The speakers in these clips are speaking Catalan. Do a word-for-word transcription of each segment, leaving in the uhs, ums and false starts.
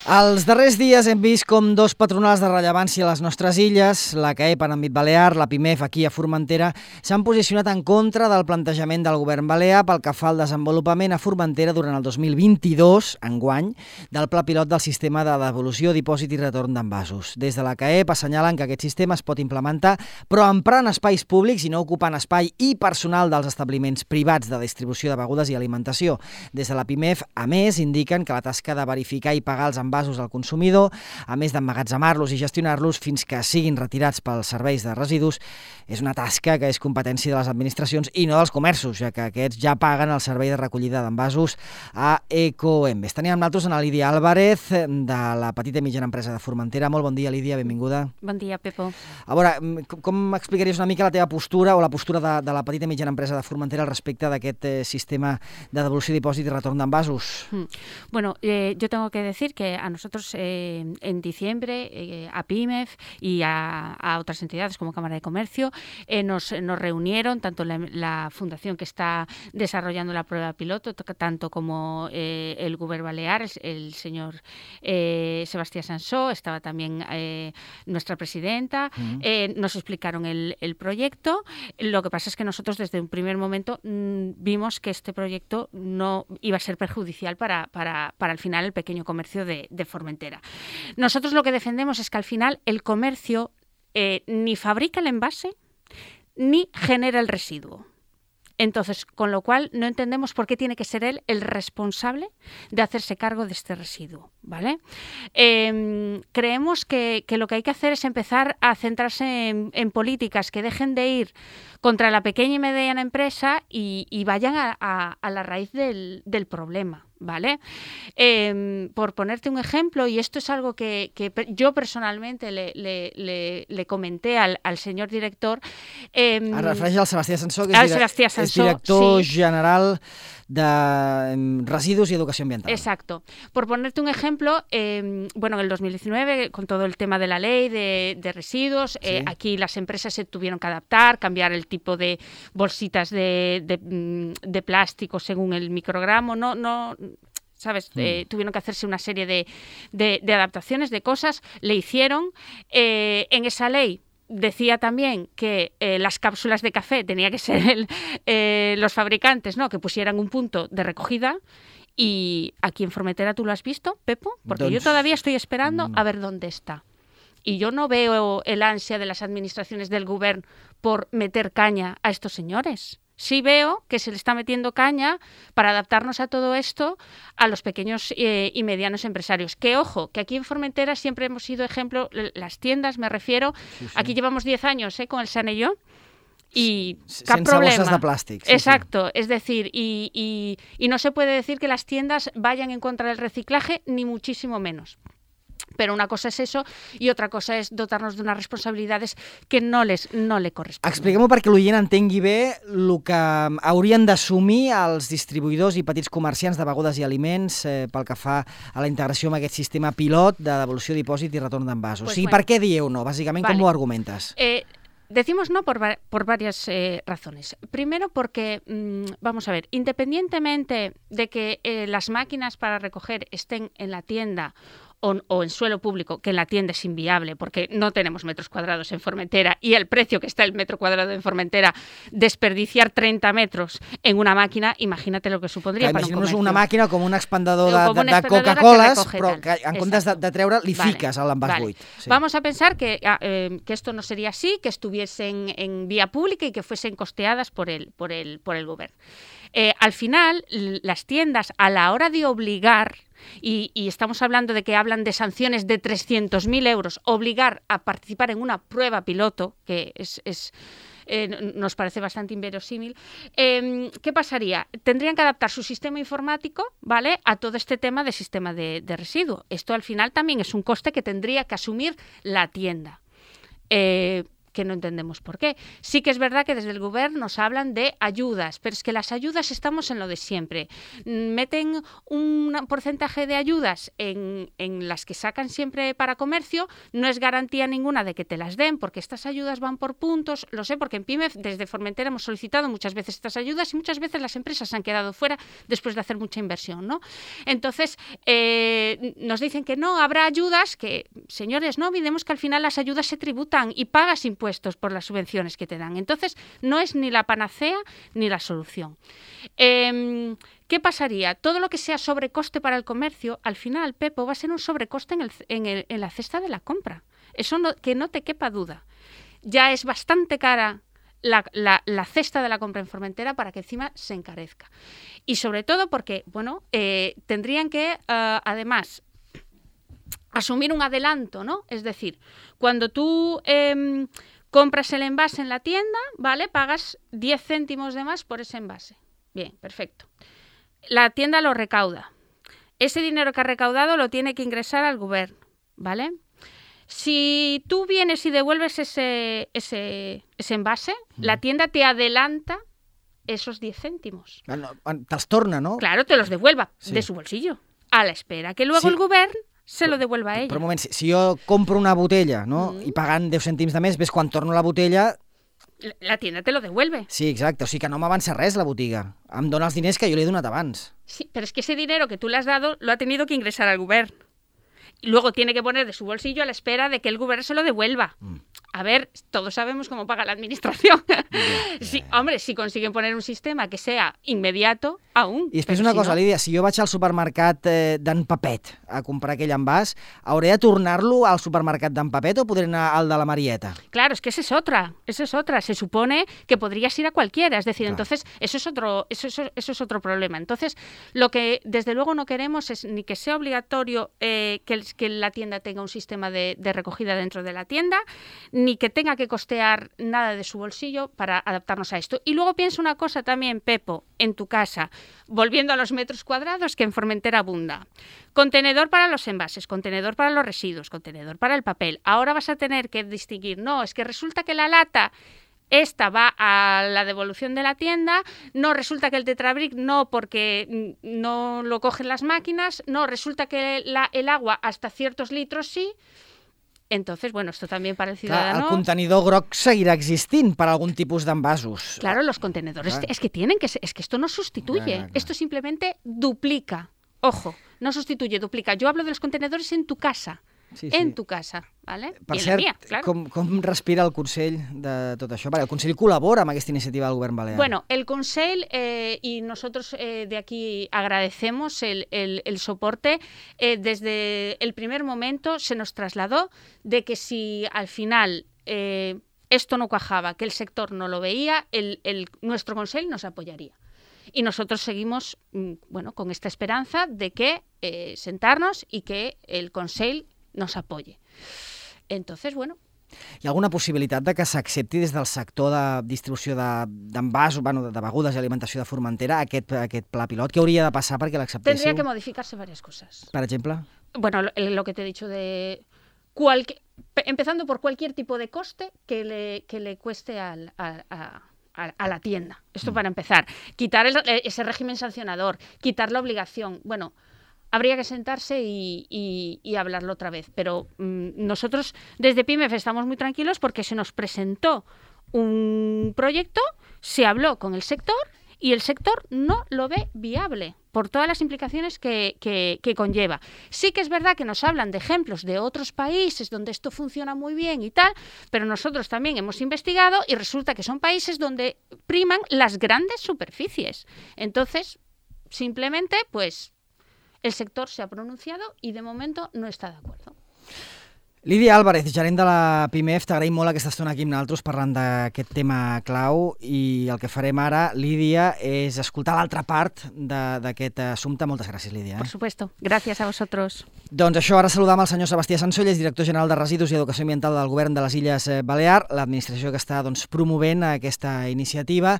Els darrers dies hem vist com dos patronals de rellevància a les nostres illes, la C A E P en àmbit balear, la PIMEF aquí a Formentera, s'han posicionat en contra del plantejament del govern balear pel que fa al desenvolupament a Formentera durant el dos mil vint-i-dos, enguany, del pla pilot del sistema de devolució, dipòsit i retorn d'envasos. Des de la C A E P assenyalen que aquest sistema es pot implementar, però emprant espais públics i no ocupant espai i personal dels establiments privats de distribució de begudes i alimentació. Des de la PIMEF, a més, indiquen que la tasca de verificar i pagar els envasos al consumidor, a més d'emmagatzemar-los i gestionar-los fins que siguin retirats pels serveis de residus, és una tasca que és competència de les administracions i no dels comerços, ja que aquests ja paguen el servei de recollida d'envasos a Ecoembes. Tenim amb nosaltres a Lídia Álvarez, de la petita i mitjana empresa de Formentera. Molt bon dia, Lídia, benvinguda. Bon dia, Pepo. A veure, com explicaries una mica la teva postura o la postura de, de la petita i mitjana empresa de Formentera al respecte d'aquest eh, sistema de devolució, dipòsit i retorn d'envasos? Mm. Bueno, eh, yo tengo que decir que a nosotros eh, en diciembre eh, a PIMEF y a, a otras entidades como Cámara de Comercio eh, nos, nos reunieron, tanto la, la fundación que está desarrollando la prueba piloto, tanto como eh, el Govern Balear, el, el señor eh, Sebastián Sansó, estaba también eh, nuestra presidenta, uh-huh. eh, nos explicaron el, el proyecto. Lo que pasa es que nosotros desde un primer momento mmm, vimos que este proyecto no iba a ser perjudicial para, para, para al final el pequeño comercio de, de Formentera. Nosotros lo que defendemos es que al final el comercio eh, ni fabrica el envase ni genera el residuo. Entonces, con lo cual no entendemos por qué tiene que ser él el responsable de hacerse cargo de este residuo, ¿vale? Eh, creemos que, que lo que hay que hacer es empezar a centrarse en, en políticas que dejen de ir contra la pequeña y mediana empresa y, y vayan a, a, a la raíz del, del problema, ¿vale? Eh, por ponerte un ejemplo, y esto es algo que, que yo personalmente le, le, le, le comenté al, al señor director. Eh, Ara refereix al Sebastián Sansó, que al és, Sebastián és Sansó, director sí. general de residus y educación ambiental. Exacto. Por ponerte un ejemplo, eh, bueno, en el dos mil diecinueve, con todo el tema de la ley de, de residuos, sí. eh, aquí las empresas se tuvieron que adaptar, cambiar el tipo de bolsitas de, de, de plástico según el microgramo, no, no, ¿sabes? Mm. Eh, tuvieron que hacerse una serie de, de, de adaptaciones, de cosas, le hicieron. Eh, en esa ley decía también que eh, las cápsulas de café tenía que ser el, eh, los fabricantes, ¿no?, que pusieran un punto de recogida. Y aquí en Formentera, ¿tú lo has visto, Pepo? Porque Entonces, yo todavía estoy esperando a ver dónde está. Y yo no veo el ansia de las administraciones del gobierno por meter caña a estos señores. Sí veo que se le está metiendo caña para adaptarnos a todo esto a los pequeños eh, y medianos empresarios. Que, ojo, que aquí en Formentera siempre hemos sido ejemplo, las tiendas, me refiero, sí, sí. Aquí llevamos diez años eh, con el Sanelló y sí, cap problema. Bolsas de plàstic. Sí, Exacto, sí. Es decir, y, y, y no se puede decir que las tiendas vayan en contra del reciclaje, ni muchísimo menos. Pero una cosa és eso i otra cosa és dotar-nos d'unes responsabilitats que no, les, no le corresponden. Expliquem-ho perquè l'oient entengui bé el que haurien d'assumir els distribuïdors i petits comerciants de begudes i aliments eh, pel que fa a la integració amb aquest sistema pilot de devolució, dipòsit i retorn d'envasos. Pues o sigui, bueno, per què dieu no? Bàsicament, vale. Com ho argumentes? Eh, Decimos no por, por varias eh, razones. Primero porque, mmm, vamos a ver, independientemente de que eh, las máquinas para recoger estén en la tienda O, o en suelo público, que en la tienda es inviable porque no tenemos metros cuadrados en Formentera y el precio que está el metro cuadrado en Formentera, desperdiciar treinta metros en una máquina, imagínate lo que supondría que para un comercio. Una màquina com un expandador de, com de, de Coca-Coles, però que en comptes de, de treure li vale. Fiques a l'envàs vale. buit. Sí. Vamos a pensar que, eh, que esto no sería así, que estuviesen en vía pública y que fuesen costeadas por el, por el, por el gobierno. Eh, al final, las tiendas, a la hora de obligar, y, y estamos hablando de que hablan de sanciones de trescientos mil euros, obligar a participar en una prueba piloto, que es... es Eh, nos parece bastante inverosímil. Eh, ¿Qué pasaría? Tendrían que adaptar su sistema informático, ¿vale?, a todo este tema de sistema de, de residuo. Esto al final también es un coste que tendría que asumir la tienda. Eh, que no entendemos por qué. Sí que es verdad que desde el gobierno nos hablan de ayudas, pero es que las ayudas estamos en lo de siempre. Meten un porcentaje de ayudas en, en las que sacan siempre para comercio, no es garantía ninguna de que te las den, porque estas ayudas van por puntos, lo sé, porque en PYME desde Formentera hemos solicitado muchas veces estas ayudas y muchas veces las empresas se han quedado fuera después de hacer mucha inversión, ¿no? Entonces, eh, nos dicen que no, habrá ayudas, que, señores, no olvidemos que al final las ayudas se tributan y pagas impuestos por las subvenciones que te dan. Entonces, no es ni la panacea ni la solución. Eh, ¿Qué pasaría? Todo lo que sea sobrecoste para el comercio, al final, Pepo, va a ser un sobrecoste en, el, en, el, en la cesta de la compra. Eso no, que no te quepa duda. Ya es bastante cara la, la, la cesta de la compra en Formentera para que encima se encarezca. Y sobre todo porque, bueno, eh, tendrían que, uh, además, asumir un adelanto, ¿no? Es decir, cuando tú eh, compras el envase en la tienda, ¿vale? Pagas diez céntimos de más por ese envase. Bien, perfecto. La tienda lo recauda. Ese dinero que ha recaudado lo tiene que ingresar al gobierno, ¿vale? Si tú vienes y devuelves ese, ese, ese envase, mm. la tienda te adelanta esos diez céntimos. Ah, no, te'ls torna, no? Claro, te los devuelva sí. de su bolsillo, a la espera que luego sí. el gobierno se lo devuelva a ella. Però un moment, si, si jo compro una botella, no? Mm. i pagant deu cèntims de més, ves quan torno la botella... La tienda te lo devuelve. Sí, exacte. O sigui que no m'avança res la botiga. Em dona els diners que jo li he donat abans. Sí, pero es que ese dinero que tú le has dado lo ha tenido que ingresar al gobierno. Y luego tiene que poner de su bolsillo a la espera de que el gobierno se lo devuelva. Mm. A ver, todos sabemos cómo paga la administración. Yeah, yeah, sí, yeah. Hombre, si consiguen poner un sistema que sea inmediato, aún. I després una si cosa, no... Lídia, si jo vaig al supermercat eh, d'en Papet a comprar aquell envàs, ¿hauré de tornar-lo al supermercat d'en Papet o podré anar al de la Marieta? Claro, es que esa es otra, esa es otra. Se supone que podrías ir a cualquiera, es decir, claro. entonces eso es otro, eso, eso, eso es otro problema. Entonces, lo que desde luego no queremos es ni que sea obligatorio eh, que, el, que la tienda tenga un sistema de, de recogida dentro de la tienda, ni que tenga que costear nada de su bolsillo para adaptarnos a esto. Y luego piensa una cosa también, Pepo, en tu casa, volviendo a los metros cuadrados que en Formentera abunda. Contenedor para los envases, contenedor para los residuos, contenedor para el papel. Ahora vas a tener que distinguir, no, es que resulta que la lata... Esta va a la devolución de la tienda, no resulta que el Tetrabric no porque no lo cogen las máquinas, no resulta que la, el agua hasta ciertos litros sí. Entonces, bueno, esto también para el ciudadano... Clar, el contenidor groc seguirà existint per algún tipus d'envasos. Claro, los contenedores Clar. es que tienen que ser, es que esto no sustituye, clar, clar. Esto simplemente duplica. Ojo, no sustituye, duplica. Yo hablo de los contenedores en tu casa. Sí, sí. En tu casa, ¿vale? Per I en cert, la mia, claro. com, com respira el Consell de tot això? Vale, el Consell col·labora amb aquesta iniciativa del Govern Balear. Bueno, el Consell, eh, y nosotros eh, de aquí agradecemos el, el, el soporte, eh, desde el primer momento se nos trasladó de que si al final eh, esto no cuajaba, que el sector no lo veía, el, el, nuestro Consell nos apoyaría. Y nosotros seguimos, bueno, con esta esperanza de que eh, sentarnos y que el Consell nos apoye. Entonces, bueno... Hi ha alguna possibilitat de que s'accepti des del sector de distribució d'envasos, de, bueno, de begudes i alimentació de Formentera aquest, aquest pla pilot? Què hauria de passar perquè l'acceptéssiu? Tendría que modificarse varias cosas. Per exemple? Bueno, lo, lo que te he dicho de... Cualque, empezando por cualquier tipo de coste que le, que le cueste al... A, a, a la tienda. Esto para empezar. Quitar el, ese régimen sancionador, quitar la obligación. Bueno, habría que sentarse y, y, y hablarlo otra vez. Pero mmm, nosotros desde PYMEF estamos muy tranquilos porque se nos presentó un proyecto, se habló con el sector y el sector no lo ve viable por todas las implicaciones que, que, que conlleva. Sí que es verdad que nos hablan de ejemplos de otros países donde esto funciona muy bien y tal, pero nosotros también hemos investigado y resulta que son países donde priman las grandes superficies. Entonces, simplemente, pues, el sector se ha pronunciado y de momento no está de acuerdo. Lídia Álvarez, gerent de la PYMEF, t'agraïm molt aquesta estona aquí amb nosaltres parlant d'aquest tema clau i el que farem ara, Lídia, és escoltar l'altra part d'aquest assumpte. Moltes gràcies, Lídia. Eh? Por supuesto. Gracias a vosotros. Doncs això, ara saludam el senyor Sebastià Sansoll, és director general de Residus i Educació Ambiental del Govern de les Illes Balears, l'administració que està doncs, promovent aquesta iniciativa,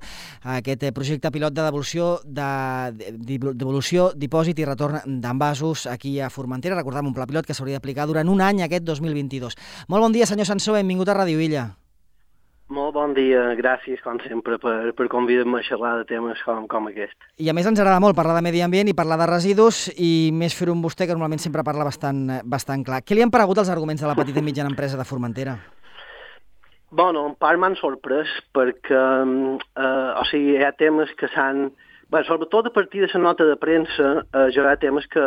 aquest projecte pilot de devolució, de, devolució, dipòsit i retorn d'envasos aquí a Formentera. Recordem un pla pilot que s'hauria d'aplicar durant un any, aquest dos mil vint-i-dos. Molt bon dia, senyor Sansó, benvingut a Ràdio Illa. Molt bon dia, gràcies, com sempre, per, per convidar-me a xerrar de temes com, com aquest. I a més ens agrada molt parlar de medi ambient i parlar de residus, i més fer-ho amb vostè, que normalment sempre parla bastant, bastant clar. Què li han paregut els arguments de la petita i mitjana empresa de Formentera? Bueno, en part m'han sorprès perquè, eh, o sigui, hi ha temes que s'han... Bé, sobretot a partir de la nota de premsa, eh, hi ha temes que,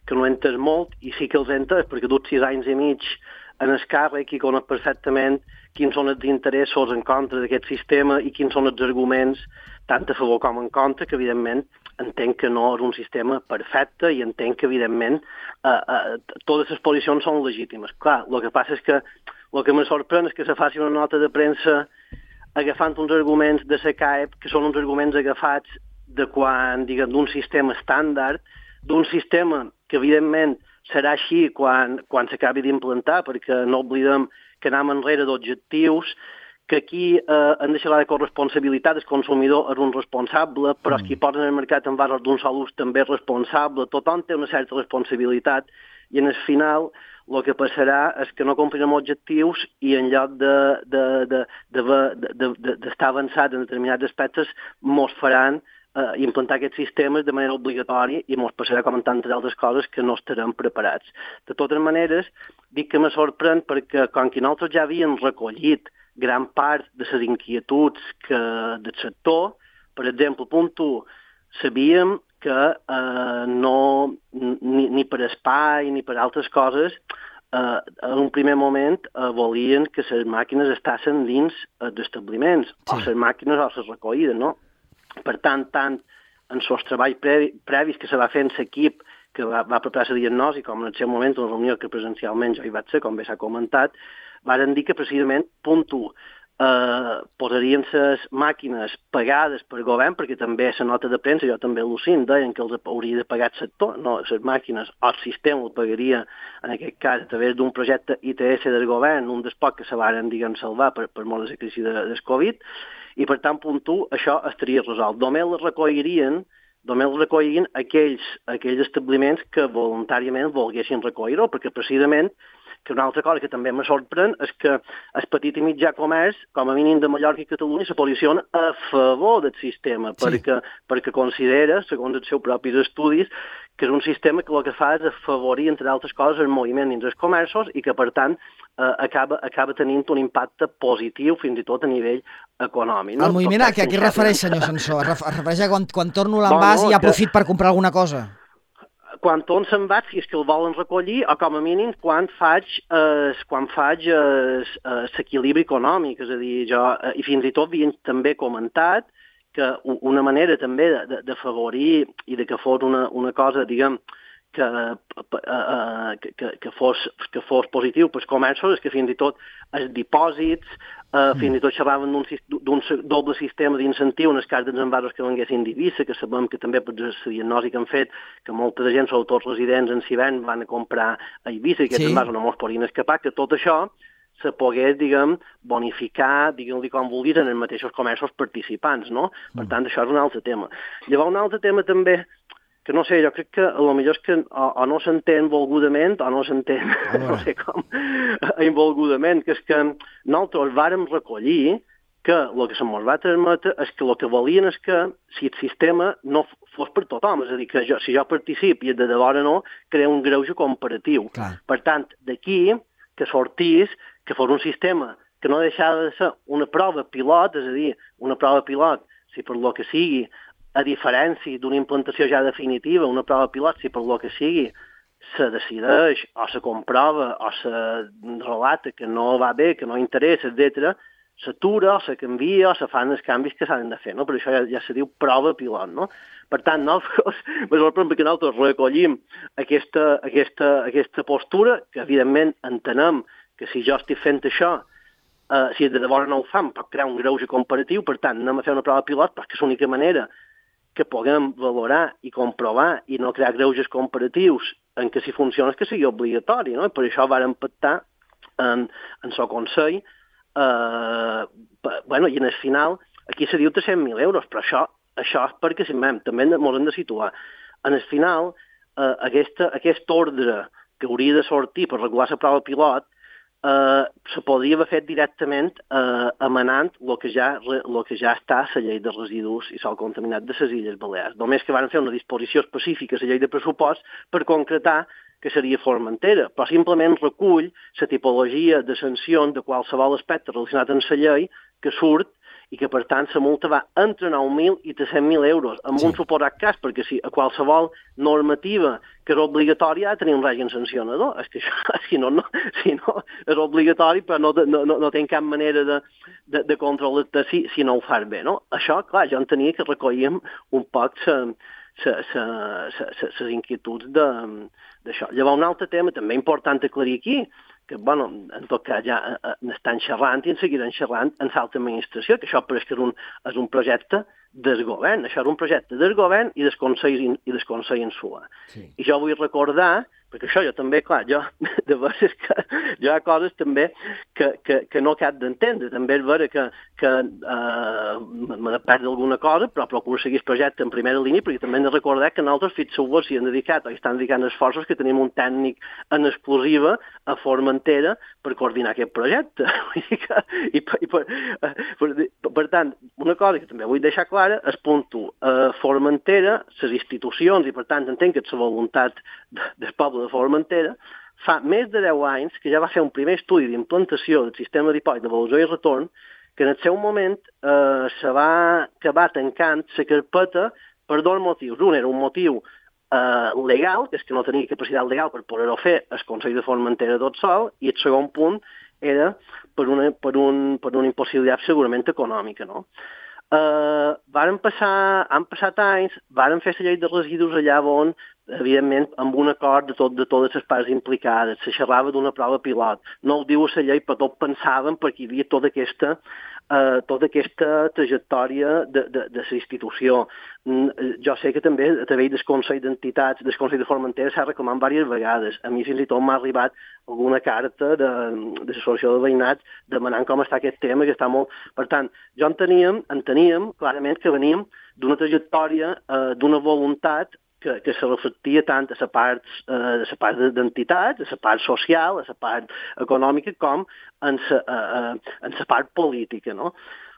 que no he entès molt, i sí que els he entès, perquè dut sis anys i mig en el càrrec i conec perfectament quins són els interessos en contra d'aquest sistema i quins són els arguments, tant a favor com en contra, que evidentment entenc que no és un sistema perfecte i entenc que evidentment eh, eh, totes les posicions són legítimes. Clar, el que passa és que el que me sorprèn és que se faci una nota de premsa agafant uns arguments de la C A E P, que són uns arguments agafats de quan, diguem, d'un sistema estàndard, d'un sistema que evidentment serà així quan, quan s'acabi d'implantar, perquè no oblidem que anem enrere d'objectius, que aquí eh, han de xerrar de corresponsabilitat, el consumidor és un responsable, però els qui posen el mercat en bases d'un sol ús també és responsable, tothom té una certa responsabilitat, i en el final el que passarà és que no complirem objectius i en lloc d'estar de, de, de, de, de, de, avançat en determinats aspectes mos faran eh, implantar aquests sistemes de manera obligatòria i mos passarà com en tantes altres coses que no estarem preparats. De totes maneres, dic que me sorprèn perquè com que nosaltres ja havíem recollit gran part de les inquietuds que, del sector, per exemple, punt u, sabíem que eh, no, ni, ni per espai ni per altres coses, eh, en un primer moment eh, volien que les màquines estiguessin dins eh, d'establiments, sí. o les màquines o les recollides, no? Per tant, tant en els treballs previ, previs que se va fer en l'equip que va, va preparar la diagnosi, com en el seu moment, una reunió que presencialment jo hi vaig ser, com bé s'ha comentat, varen dir que precisament, punt u, eh, posarien les màquines pagades per govern, perquè també la nota de premsa, jo també al·lucint, deien que els hauria de pagar el sector, no, les màquines, o el sistema el pagaria, en aquest cas, a través d'un projecte I T S del govern, un dels pocs que se varen, diguem, salvar per, per molt de la crisi de, del Covid, i per tant, punt u, això estaria resolt. Només les recollirien, només les recollirien aquells, aquells establiments que voluntàriament volguessin recollir-ho, perquè precisament que una altra cosa que també me sorprèn és que el petit i mitjà comerç, com a mínim de Mallorca i Catalunya, se posiciona a favor del sistema, sí. perquè, perquè considera, segons els seus propis estudis, que és un sistema que el que fa és afavorir, entre altres coses, el moviment dins els comerços i que, per tant, eh, acaba, acaba tenint un impacte positiu fins i tot a nivell econòmic. No? El moviment a què es refereix, senyor Sansó? Es refereix a quan, quan torno l'envàs bueno, i aprofit que... per comprar alguna cosa? Quan tot se'n va, si és que el volen recollir, o com a mínim quan faig eh, quan faig l'equilibri eh, econòmic, és a dir, jo, eh, i fins i tot havien també comentat que una manera també d'afavorir i de que fos una, una cosa, diguem, que, eh, que, que, fos, que fos positiu pels comerços, és que fins i tot els dipòsits, eh, mm. fins i tot xerraven d'un doble sistema d'incentiu en el cas dels envasos que venguessin d'Eivissa, que sabem que també per la diagnosi que han fet, que molta de gent, sobretot els residents en Sivern, van a comprar a Eivissa i aquests sí. envasos no mos podien escapar, que tot això se pogués, diguem, bonificar, diguem-li com vulguis, en els mateixos comerços participants, no? Per tant, això és un altre tema. Llavors, un altre tema també, que no sé, jo crec que a lo millor és que o, o no s'entén volgudament o no s'entén, no sé com, involgudament, que és que nosaltres vàrem recollir que el que se mos va transmetre és que el que volien és que si el sistema no fos per tothom, és a dir, que jo, si jo participo i de debò no, crea un greuge comparatiu. Clar. Per tant, d'aquí que sortís que fos un sistema que no deixava de ser una prova pilot, és a dir, una prova pilot, si per lo que sigui, a diferència d'una implantació ja definitiva, una prova pilot, si per lo que sigui, se decideix o se comprova o se relata que no va bé, que no interessa, etcètera, s'atura o se canvia o se fan els canvis que s'han de fer, no? Per això ja, ja se diu prova pilot, no? Per tant, nosaltres, perquè nosaltres recollim aquesta, aquesta, aquesta postura, que evidentment entenem que si jo estic fent això, uh, si de debò no ho fan, pot crear un greuge comparatiu, per tant, anem a fer una prova pilot, perquè és l'única manera que puguem valorar i comprovar i no crear greuges comparatius en què si funciona és que sigui obligatori, no? I per això vàrem pactar en, en el Consell, eh, bueno, i en el final, aquí se diu tres-cents mil euros, però això, això és perquè si mem, també ens hem de situar. En el final, eh, aquesta, aquest ordre que hauria de sortir per regular la prova pilot, eh, se podria haver fet directament eh, emanant el que, ja, el que ja està a la llei de residus i sol contaminat de les Illes Balears. Només que van fer una disposició específica a la llei de pressupost per concretar que seria Formentera, però simplement recull la tipologia de sancions de qualsevol aspecte relacionat amb la llei que surt i que, per tant, la multa va entre nou mil i tres-cents mil euros, amb sí. un suposat cas, perquè si a qualsevol normativa que és obligatòria ha de tenir un règim sancionador. És que això, si no, no, si no és obligatori, però no, no, no, no té cap manera de, de, de controlar-te si, si no ho fas bé, no? Això, clar, jo entenia que recollíem un poc les inquietuds d'això. Llavors, un altre tema també important aclarir aquí, que, bueno, en tot cas ja n'estan xerrant i en seguiran xerrant en l'alta administració, que això pareix que és un, és un projecte del govern. Això és un projecte del govern i del Consell, i del Consell Insular. Sí. I jo vull recordar, perquè això jo també, clar, jo, de vegades que hi ha coses també que, que, que no cap d'entendre. També és vera que, que eh, m'he de perdre alguna cosa, però procuro seguir el projecte en primera línia, perquè també hem de recordar que nosaltres, fixeu-vos, s'hi han dedicat o hi estan dedicant esforços, que tenim un tècnic en exclusiva a Formentera per coordinar aquest projecte. I, per, i per, per, per tant, una cosa que també vull deixar clara és punto. A Formentera, les institucions, i per tant entenc que és la voluntat del poble de Formentera, fa més de deu anys que ja va fer un primer estudi d'implantació del sistema dipòsit d'avaluació i retorn, que en el seu moment eh, se va acabar tancant la carpeta per dos motius. Un era un motiu eh, legal, que és que no tenia capacitat legal per poder-ho fer el Consell de Formentera tot sol, i el segon punt era per una, per un, per una impossibilitat segurament econòmica, no? Uh, varen passar, han passat anys, varen fer la llei de residus allà on, evidentment, amb un acord de, tot, de totes les parts implicades, se xerrava d'una prova pilot. No ho diu la llei, però tot pensàvem perquè hi havia tota aquesta, uh, tota aquesta trajectòria de, de, de la institució. Mm, jo sé que també a través del Consell d'Entitats, del Consell de Formentera, s'ha reclamat diverses vegades. A mi fins i tot m'ha arribat alguna carta de, de l'associació de veïnats demanant com està aquest tema, que està molt... Per tant, jo enteníem, enteníem clarament que veníem d'una trajectòria, eh, d'una voluntat que, que se reflectia tant a la part, eh, a la part d'entitats, a la part social, a la part econòmica, com en la, eh, en la part política, no?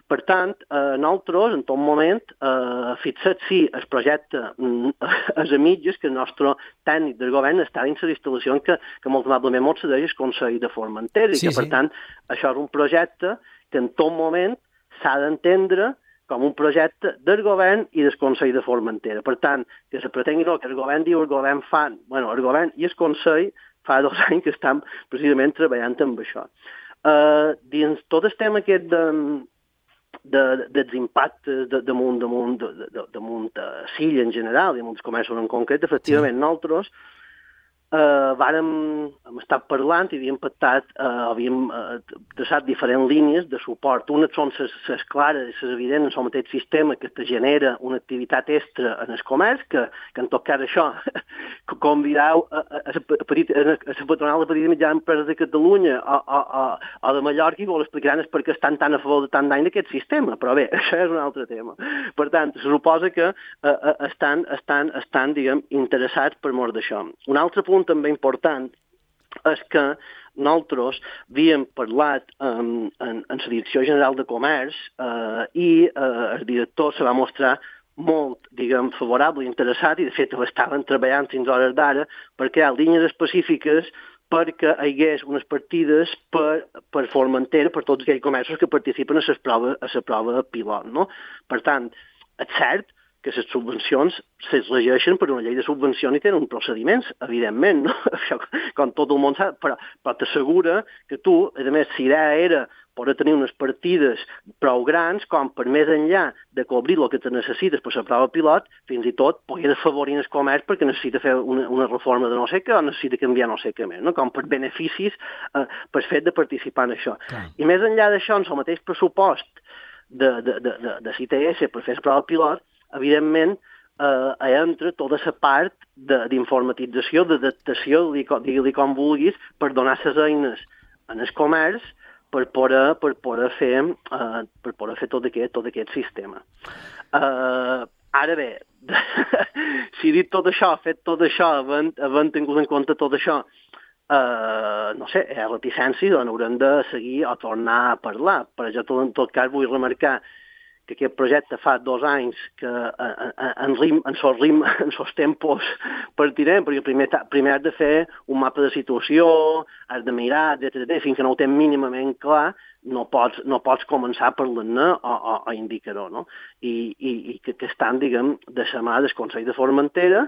Per tant, eh, nosaltres, en tot moment, eh, fixat si el projecte és a mitges, que el nostre tècnic del govern està dins la instal·lació que, que molt amablement ens cedeix el Consell de Formentera, i sí, que, per sí. tant, això és un projecte que en tot moment s'ha d'entendre com un projecte del govern i del Consell de Formentera. Per tant, que se pretengui el que el govern diu, el govern fa... Bueno, el govern i el Consell fa dos anys que estan precisament treballant amb això. Eh, dins tot el tema aquest de... De, dels impactes de, damunt, damunt, de, de, damunt de Silla en general i damunt els comerços en concret, efectivament, sí. nosaltres eh, vàrem, hem estat parlant i havíem pactat, eh, havíem eh, traçat diferents línies de suport. Unes són les clares, les evidents en el mateix sistema que te genera una activitat extra en el comerç, que, que en tot cas això convidau a, a, a, a, a la patronal de petita i mitjana empreses de Catalunya o, o, o, o de Mallorca, i vol explicaran és perquè estan tan a favor de tant d'any d'aquest sistema, però bé, això és un altre tema. Per tant, se suposa que eh, estan, estan, estan, diguem, interessats per mort d'això. Un altre punt també important és que nosaltres havíem parlat um, en, en la Direcció General de Comerç uh, i uh, el director se va mostrar molt, diguem, favorable i interessat, i de fet estaven treballant fins a hores d'ara per crear línies específiques perquè hi hagués unes partides per, per Formentera, per tots aquells comerços que participen a la prova, a la prova pilot, no? Per tant, és cert que les subvencions es regeixen per una llei de subvencions i tenen uns procediments, evidentment, no? Això, com tot el món sap, però, però t'assegura que tu, a més, si idea era poder tenir unes partides prou grans com per més enllà de cobrir el que te necessites per la prova pilot, fins i tot poder afavorir el comerç perquè necessita fer una, una reforma de no sé què o necessita canviar no sé què més, no? Com per beneficis eh, per fet de participar en això. Clar. I més enllà d'això, en el mateix pressupost de, de, de, de, de C I T S per fer la prova pilot, evidentment, eh, entra tota la part d'informatització, d'adaptació, digue-li com vulguis, per donar les eines en el comerç per poder, per poder, fer, eh, per poder fer tot aquest, tot aquest sistema. Eh, ara bé, si he dit tot això, fet tot això, havent, havent tingut en compte tot això, eh, no sé, hi ha reticències on haurem de seguir o tornar a parlar. Per exemple, en tot cas vull remarcar que aquest projecte fa dos anys que en, rim, en sos rim, en sos tempos partirem, perquè primer, primer has de fer un mapa de situació, has de mirar, etcètera. Fins que no ho tens mínimament clar, no pots, no pots començar a parlar-ne o, o, o indicar-ho, no? I, i, i que, que estan, diguem, de la mà del Consell de Formentera,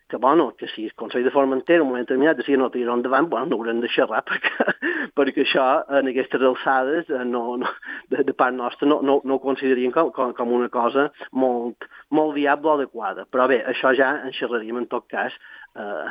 que, bueno, que si el Consell de Formentera en un moment determinat decida no tirar endavant, bueno, no haurem de xerrar, perquè, perquè això, en aquestes alçades, no, no, de, de part nostra, no, no, no ho consideraríem com, com, com una cosa molt, molt viable o adequada. Però bé, això ja en xerraríem, en tot cas, eh,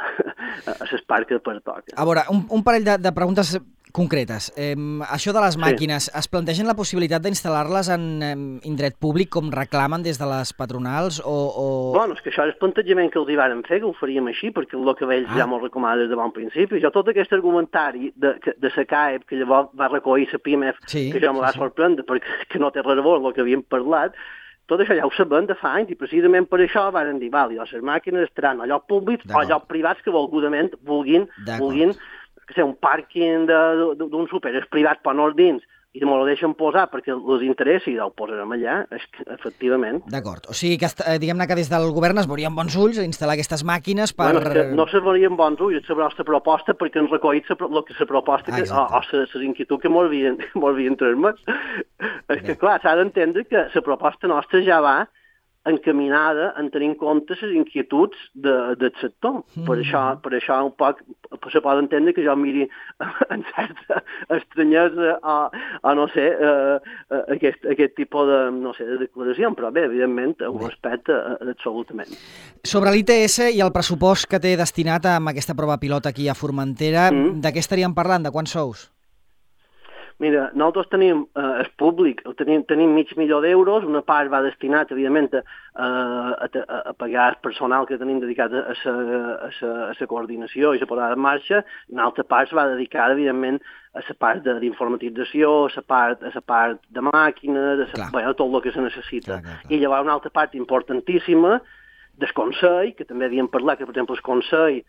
a l'espart que pertoca. A veure, un, un parell de, de preguntes concretes. Eh, això de les màquines, sí. Es plantegen la possibilitat d'instal·lar-les en eh, indret públic com reclamen des de les patronals o... o... Bueno, és que això és el plantejament que els hi vàrem fer, que ho faríem així, perquè el que ells ah. ja m'ho recomana des de bon principi. Jo tot aquest argumentari de, de la C A E P, que llavors va recollir la PIMEF, sí, que jo me va sí, sorprendre, sí. perquè que no té res a veure el que havíem parlat, tot això ja ho sabem de fa anys, i precisament per això varen dir, val, les màquines estaran a llocs públics o a llocs privats que volgudament vulguin, vulguin que sé, un pàrquing d'un súper és privat per anar dins i me lo deixen posar perquè els interessa i el posarem allà, és que, efectivament. D'acord. O sigui, que diguem-ne que des del govern es veurien bons ulls a instal·lar aquestes màquines per... Bueno, és que no se veurien bons ulls, és la nostra proposta perquè ens recollit el que la proposta ah, que, o, o les inquietuds que m'havien transmès. És que, clar, s'ha d'entendre que la proposta nostra ja va encaminada en tenir en compte les inquietuds de, del sector. Mm. Per això, per això un poc se pot entendre que jo miri en certa estranyesa o, o no sé, eh, aquest, aquest tipus de, no sé, de declaració, però bé, evidentment, ho respecte absolutament. Sobre l'I T S i el pressupost que té destinat amb aquesta prova pilot aquí a Formentera, mm. de què estaríem parlant? De quants sous? Mira, nosaltres tenim eh, el públic, tenim, tenim mig milió d'euros, una part va destinat, evidentment, a, a, a, a pagar el personal que tenim dedicat a la coordinació i la posada en marxa, i una altra part va dedicada, evidentment, a la part d'informatització, a la part, a la part de màquines, a la, bueno, tot el que se necessita. Clar, clar, clar. I llavors una altra part importantíssima del Consell, que també havíem parlat, que per exemple el Consell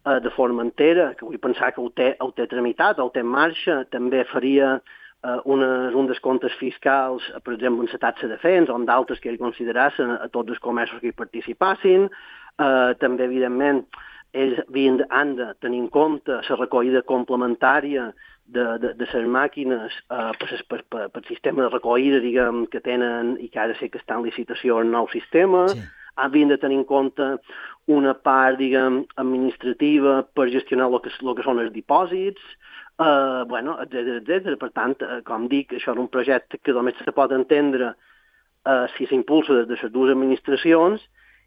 de Formentera, que vull pensar que ho té, ho té tramitat, ho té en marxa, també faria eh, unes, un dels comptes fiscals, per exemple, en la taxa de fens, on d'altres que ell considerassen a tots els comerços que hi participassin. Eh, també, evidentment, ells havien de, han de tenir en compte la recollida complementària de, de, de les màquines eh, per, per, per, per sistema de recollida, diguem, que tenen i que ha de ser que està en licitació el nou sistema. Sí. Havien de tenir en compte una part, diguem, administrativa per gestionar el que, el que són els dipòsits, eh, bueno, etcètera, etcètera. Per tant, eh, com dic, això és un projecte que només se pot entendre eh, si s'impulsa des de les dues administracions,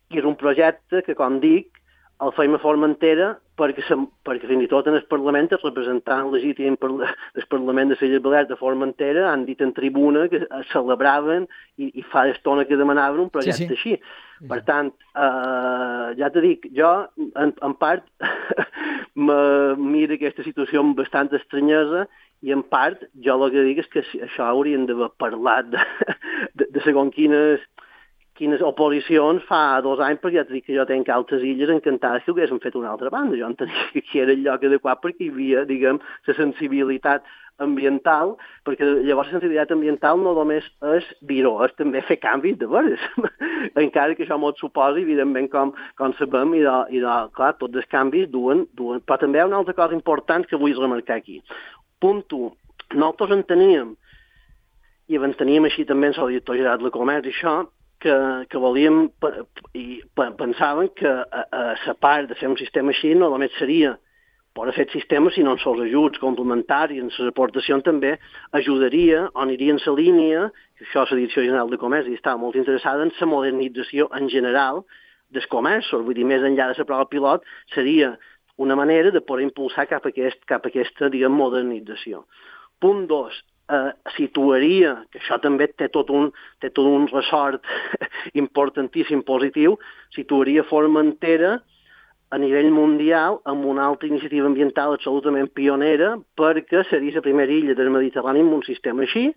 i és un projecte que, com dic, el feim a Formentera perquè, se, perquè fins i tot en el Parlament el representant legítim del Parlament de les Balears de Formentera han dit en tribuna que celebraven i, i fa estona que demanaven un projecte sí, sí. així. Per tant, eh, ja t'he dit, jo en, en part me miro aquesta situació amb bastant estranyesa i en part jo el que dic és que això hauríem d'haver parlat de, de, de segons quines quines oposicions fa dos anys, perquè ja t'he dit que jo tenc altres illes encantades que ho haguéssim fet una altra banda. Jo entenia que aquí era el lloc adequat perquè hi havia, diguem, la sensibilitat ambiental, perquè llavors la sensibilitat ambiental no només és dir-ho, és també fer canvis de veres. Encara que això m'ho suposi, evidentment, com, com sabem, i, de, i de, clar, tots els canvis duen, duen. Però també hi ha una altra cosa important que vull remarcar aquí. Punt u, nosaltres enteníem, i enteníem així també en el director general de comerç i això, que, que volíem i pensaven que a, a la part de fer un sistema així no només seria per fer el sistema, sinó en els ajuts complementaris, en les aportacions també ajudaria o aniria en la línia, que això la Direcció General de Comerç i estava molt interessada en la modernització en general dels comerços, vull dir, més enllà de la prova pilot, seria una manera de poder impulsar cap a, aquest, cap a aquesta, diguem, modernització. Punt dos, eh, situaria, que això també té tot un, té tot un ressort importantíssim positiu, situaria Formentera a nivell mundial amb una altra iniciativa ambiental absolutament pionera perquè seria la primera illa del Mediterrani amb un sistema així,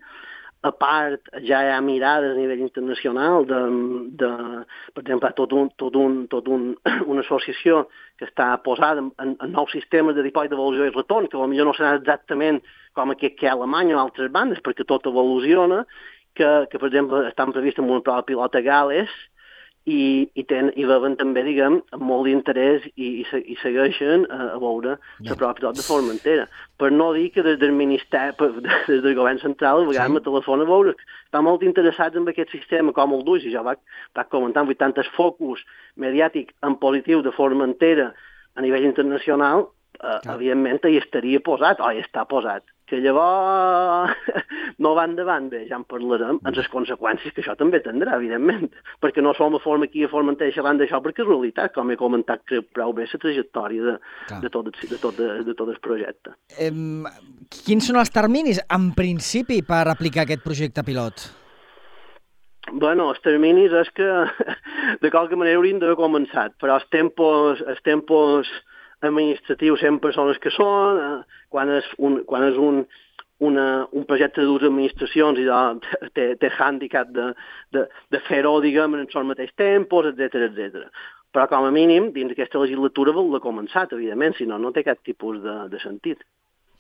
a part, ja hi ha mirades a nivell internacional de, de per exemple, tot un, tot un, tot un, una associació que està posada en, en nous sistemes de dipòsit d'evolució i retorn, que potser no serà exactament com aquest que hi ha a Alemanya o altres bandes, perquè tot evoluciona, que, que per exemple, estan previstes amb una prova pilota a Gales, i, i, ten, i veuen també, diguem, amb molt d'interès i, i, i segueixen a, a veure la prova pilot de Formentera. Per no dir que des del Ministeri, des del govern central, a vegades sí. me telefona a veure, estan molt interessats en aquest sistema, com el duix, i jo vaig, vaig comentant, vull tantes focus mediàtic en positiu de Formentera a nivell internacional, eh, evidentment hi estaria posat, o hi està posat. Que llavors no va endavant, bé, ja en parlarem, en les conseqüències que això també tindrà, evidentment, perquè no som a forma aquí a Formentera xerrant d'això, perquè és realitat, com he comentat, que prou bé la trajectòria de, de, tot, de, tot, de, de tot el projecte. Eh, quins són els terminis, en principi, per aplicar aquest projecte pilot? Bueno, els terminis és que de qualque manera haurien d'haver començat, però els tempos, els tempos administratius sempre són els que són, eh, quan és un, quan és un, una, un projecte de dues administracions i de, té, té hàndicap de, de, de fer-ho, diguem, en els mateixos tempos, etcètera, etcètera. Però com a mínim, dins d'aquesta legislatura vol-la començat, evidentment, si no, no té cap tipus de, de sentit.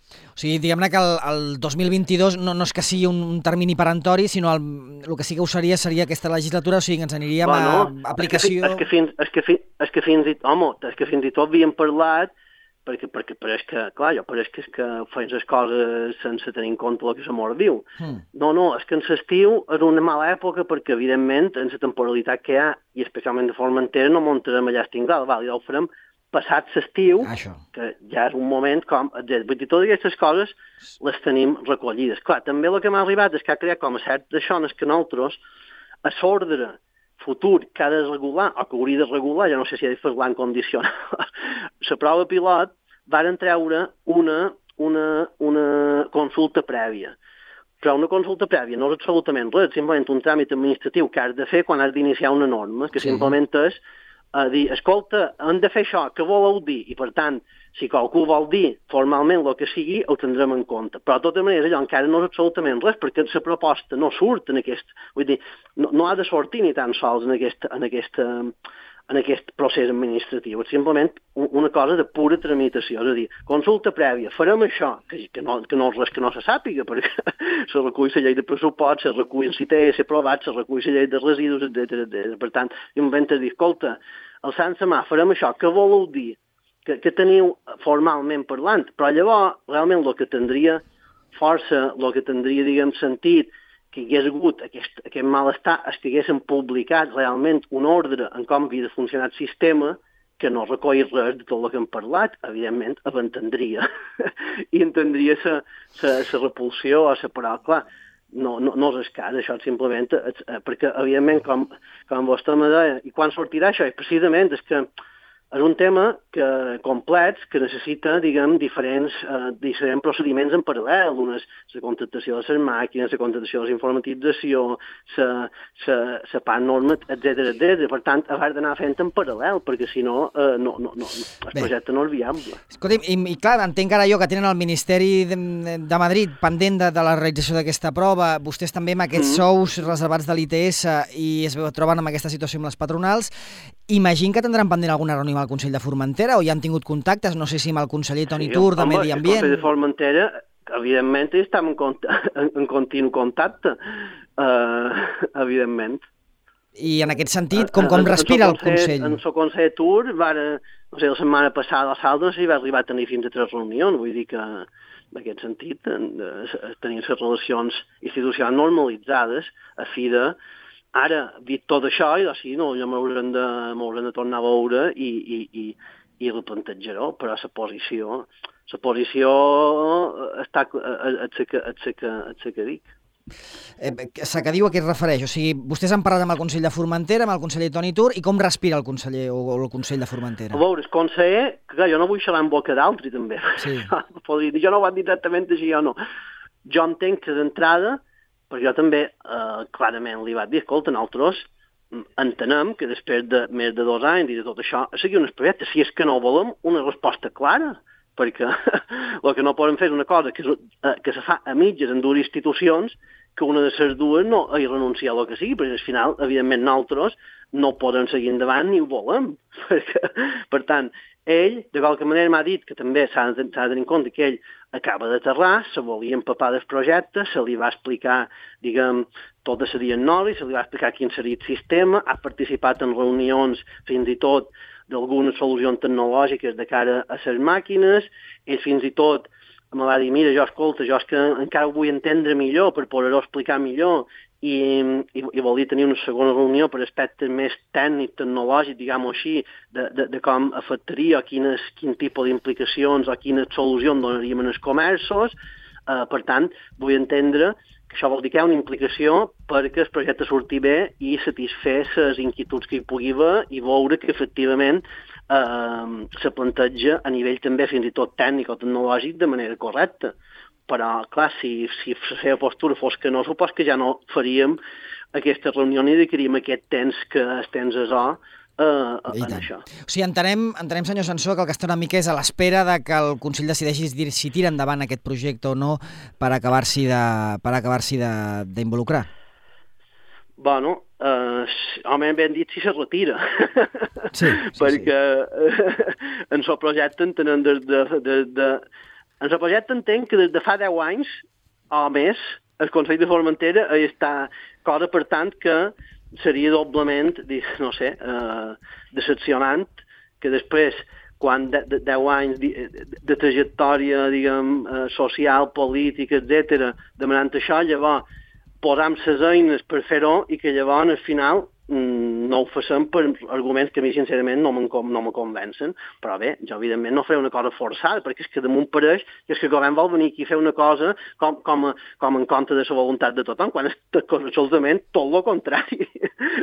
O sigui, diguem-ne que el, el dos mil vint-i-dos no, no és que sigui un, un termini perentori, sinó el, el que sí que ho seria seria aquesta legislatura, o sigui, ens aniríem bueno, a aplicació... És que, fins, és, que fins, és, que fins i, home, és que fins i tot havíem parlat, perquè, perquè pareix que, clar, jo pareix que és que feien les coses sense tenir en compte el que se mor diu. Hmm. No, no, és que en l'estiu és una mala època perquè, evidentment, en la temporalitat que hi ha, i especialment de Formentera, no muntarem allà estingral, val, i ja ho farem passat l'estiu, que ja és un moment com... Vull dir, totes aquestes coses les tenim recollides. Clar, també el que m'ha arribat és que ha creat com a certes zones que nosaltres, a l'ordre futur que ha de regular, o que hauria de regular, ja no sé si ha de fer-la en condicional, la prova pilot, varen treure una, una, una consulta prèvia. Però una consulta prèvia no és absolutament res, simplement un tràmit administratiu que has de fer quan has d'iniciar una norma, que simplement és a dir, escolta, hem de fer això, què voleu dir? I, per tant, si qualcú vol dir formalment el que sigui, ho tindrem en compte. Però, de tota manera, allò encara no és absolutament res, perquè la proposta no surt en aquest... Vull dir, no, no ha de sortir ni tan sols en aquest, en aquest, en aquest procés administratiu. És simplement una cosa de pura tramitació. És a dir, consulta prèvia, farem això, que, que, no, que no és res que no se sàpiga, perquè se recull la llei de pressupost, se recull si té ser aprovat, se recull la llei de residus, etcètera. Per tant, jo m'invento dir, escolta, el Sant Samà, farem això, què voleu dir? Que, que teniu formalment parlant? Però llavors, realment, el que tindria força, el que tindria, diguem, sentit, que hi hagués hagut aquest, aquest malestar, és que haguessin publicat realment un ordre en com havia de funcionar el sistema, que no recolli res de tot el que hem parlat, evidentment, entendria. I entendria la repulsió o la paraula. Clar, no, no, no és el cas, això simplement, perquè, evidentment, com, com vostè me deia, i quan sortirà això? I precisament és que és un tema que, complex que necessita, diguem, diferents, eh, diferents procediments en paral·lel. Una és la contractació de les màquines, la contractació de la informatització, la part norma, etcètera, etcètera. Per tant, haver d'anar fent en paral·lel, perquè si no, eh, no, no, no, el Bé. projecte no és viable. Escolti, i, i clar, entenc ara jo que tenen el Ministeri de, de Madrid pendent de, de la realització d'aquesta prova, vostès també amb aquests mm. sous reservats de l'I T S i es troben en aquesta situació amb les patronals. Imagino que tindran pendent alguna reunió amb el Consell de Formentera o ja han tingut contactes, no sé si amb el conseller Toni sí, Tur de home, Medi Ambient. El Consell de Formentera, evidentment, estem en, en, en continu contacte, uh, evidentment. I en aquest sentit, com, com respira el Consell? En el Consell Tur, va, no sé, la setmana passada a Saldes i va arribar a tenir fins a tres reunions, vull dir que en aquest sentit tenim les relacions institucionals normalitzades a fi de ara, dit tot això, i doncs sí, no, ja m'hauran de, de tornar a veure i, i, i, i replantejaré, però la posició, la posició està a la que dic. Eh, la que diu a què es refereix? O sigui, vostès han parlat amb el Consell de Formentera, amb el conseller Toni Tur, i com respira el conseller o, o el Consell de Formentera? A veure, el conseller, que jo no vull xerrar en boca d'altri, també. Sí. Jo no ho vaig dir exactament així o no. Jo entenc que d'entrada, però jo també, eh, clarament, li vaig dir, escolta, nosaltres entenem que després de més de dos anys i de tot això, seguir un projecte, si és que no volem una resposta clara, perquè el que no podem fer és una cosa que, que se fa a mitges en dues institucions que una de les dues no hi renuncia a lo que sigui, perquè al final, evidentment, nosaltres no podem seguir endavant ni ho volem. Perquè, per tant, ell, de qualque manera, m'ha dit que també s'ha de, de tenir en compte que ell acaba d'aterrar, se volia empapar del projecte, se li va explicar, diguem, tota la diagnosi, se li va explicar quin seria el sistema, ha participat en reunions, fins i tot, d'algunes solucions tecnològiques de cara a les màquines, ell fins i tot me va dir, mira, jo, escolta, jo és que encara ho vull entendre millor per poder-ho explicar millor i, i, i volia tenir una segona reunió per aspectes més tècnics, tecnològics, diguem-ho així, de, de, de com afectaria o quines, quin tipus d'implicacions o quines solucions donaríem en els comerços. Uh, per tant, vull entendre que això vol dir que hi ha una implicació perquè el projecte surti bé i satisfer les inquietuds que hi pugui haver i veure que efectivament eh, se planteja a nivell també fins i tot tècnic o tecnològic de manera correcta. Però, clar, si, si la seva postura fos que no, supos que ja no faríem aquesta reunió ni dedicaríem aquest temps que es temps a zo Uh, en això. O sigui, entenem, entenem, senyor Sansó, que el que està una mica és a l'espera de que el Consell decideixi si tira endavant aquest projecte o no per acabar-s'hi de, per acabar-s'hi d'involucrar. Bueno, uh, home, ben dit si se retira. Sí, sí, perquè sí. En el projecte entenem des de, de, de... En el projecte entenc que des de fa deu anys o més el Consell de Formentera està, cosa per tant que seria doblement, no sé, eh, decepcionant que després, quan de, de deu anys de, de trajectòria, diguem, eh, social, política, etcètera, demanant això, llavors posam les eines per fer-ho i que llavors al final mm, no ho facem per arguments que a mi sincerament no me no convencen, però bé, jo evidentment no faré una cosa forçada, perquè és que damunt pareix que és que el govern vol venir aquí a fer una cosa com, com, a, com en contra de la voluntat de tothom, quan és absolutament tot el contrari.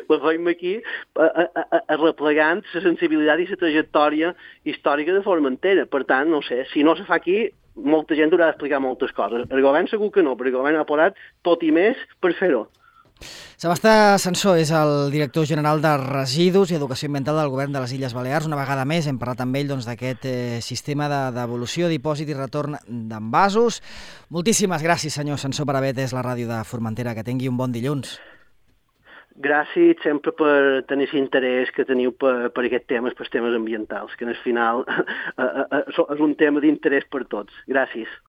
La feim aquí a, a, a, a replegant la sensibilitat i la trajectòria històrica de Formentera. Per tant, no sé, si no se fa aquí, molta gent haurà d'explicar moltes coses. El govern segur que no, perquè el govern ha posat tot i més per fer-ho. Sebastià Sansó és el director general de Residus i Educació Ambiental del Govern de les Illes Balears. Una vegada més hem parlat amb ell doncs, d'aquest eh, sistema de devolució, dipòsit i retorn d'envasos. Moltíssimes gràcies, senyor Sansó, per haver atès la ràdio de Formentera. Que tingui un bon dilluns. Gràcies sempre per tenir l'interès que teniu per, per aquests temes, per temes ambientals, que al final és un tema d'interès per tots. Gràcies.